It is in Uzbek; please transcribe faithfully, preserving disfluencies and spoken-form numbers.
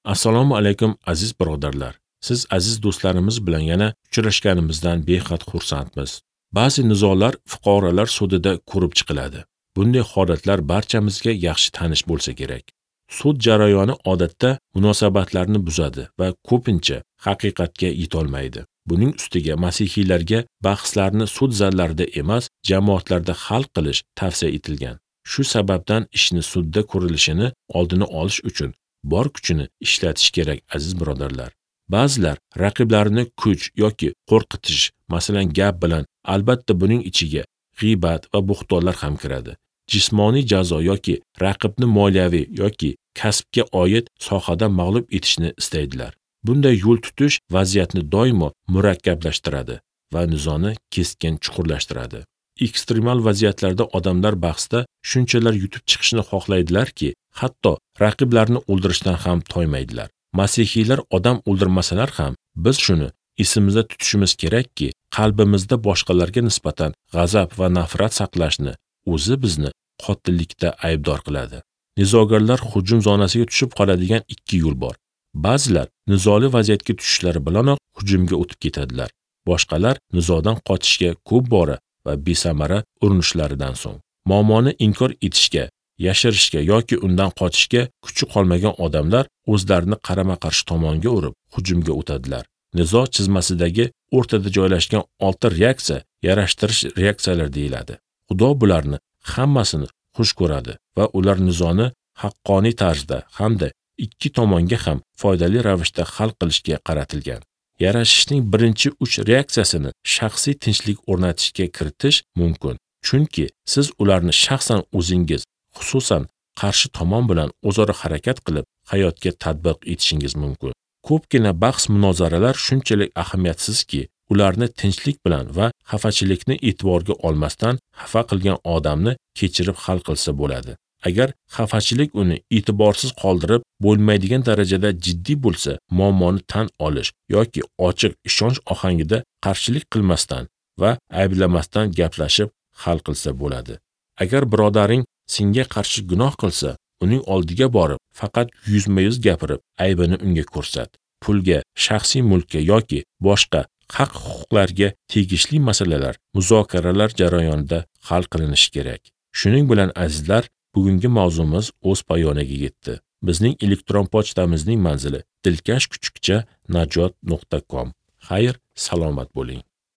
Assalomu alaykum aziz birodarlar. Siz aziz do'stlarimiz bilan yana uchrashganimizdan behad xursandmiz. Ba'zi nizolar fuqarolar sudida ko'rib chiqiladi. Bunday holatlar barchamizga yaxshi tanish bo'lsa kerak. Sud jarayoni odatda munosabatlarni buzadi va ko'pincha haqiqatga yetolmaydi. Buning ustiga masihiylarga bahslarni sud zallarida emas, jamoatlarda hal qilish tavsiya etilgan. Shu sababdan ishni sudda ko'rilishini oldini olish uchun bor kuchini ishlatish kerak, aziz birodarlar. Ba'zilar raqiblarini kuch yoki qo'rqitish, masalan gap bilan, albatta buning ichiga g'iybat va bo'xtonlar ham kiradi. Jismoniy jazo yoki raqibni moliyaviy yoki kasbga oid sohada mag'lub etishni istaydilar. Bunday yo'l tutish vaziyatni doimo murakkablashtiradi va nizoni keskin chuqurlashtiradi. Ekstremal vaziyatlarda odamlar bahsda shunchalar yutib chiqishni xohlaydilarki, hatto raqiblarni o'ldirishdan ham toymaydilar. Masihiylar odam o'ldirmasalar ham, biz shuni esimizda tutishimiz kerakki, qalbimizda boshqalarga nisbatan g'azab va nafrat saqlashni o'zi bizni qotillikda aybdor qiladi. Nizogarlar hujum zonasiga tushib qoladigan ikki yo'l bor. Ba'zilar nizoli vaziyatga tushishlari bilanoq hujumga o'tib ketadilar. Boshqalar nizodan qochishga ko'p bora va besamara urinishlaridan so'ng muammoni inkor etishga, yashirishga yoki undan qochishga kuchi qolmagan odamlar o'zlarini qarama-qarshi tomonga urib, hujumga o'tadilar. Nizo chizmasidagi o'rtada joylashgan olti reaksiya yarashtirish reaksiyalari deyiladi. Xudo bularni hammasini xush ko'radi va ular nizoni haqqoniy tarzda hamda ikki tomonga ham foydali ravishda hal qilishga qaratilgan. Yarashishning birinchi uch reaksiyasini shaxsiy tinchlik o'rnatishga kiritish mumkin. Chunki siz ularni shaxsan o'zingiz, xususan qarshi tomon bilan o'zaro harakat qilib hayotga tatbiq etishingiz mumkin. Ko'pgina bahs munozaralar shunchalik ahamiyatsizki, ularni tinchlik bilan va xafachilikni e'tiborga olmasdan xafa qilgan odamni kechirib hal qilsa bo'ladi. Agar xafachilik uni e'tiborsiz qoldirib bo'lmaydigan darajada jiddiy bo'lsa, muammoni tan olish yoki ochiq ishonch ohangida qarshilik qilmasdan va ayblamasdan gaplashib hal qilsa bo'ladi. Agar birodaring senga qarshi gunoh qilsa, uning oldiga borib, faqat yuzma-yuz gapirib, aybini unga ko'rsat. Pulga, shaxsiy mulkka yoki boshqa haq-huquqlarga tegishli masalalar muzokaralar jarayonida hal qilinishi kerak. Shuning bilan azizlar, bugungi mavzumiz o'z poyoniga yetdi. Bizning elektron pochtamizning manzili dilkash kuchukcha najot nuqta com. Xayr, salomat bo'ling.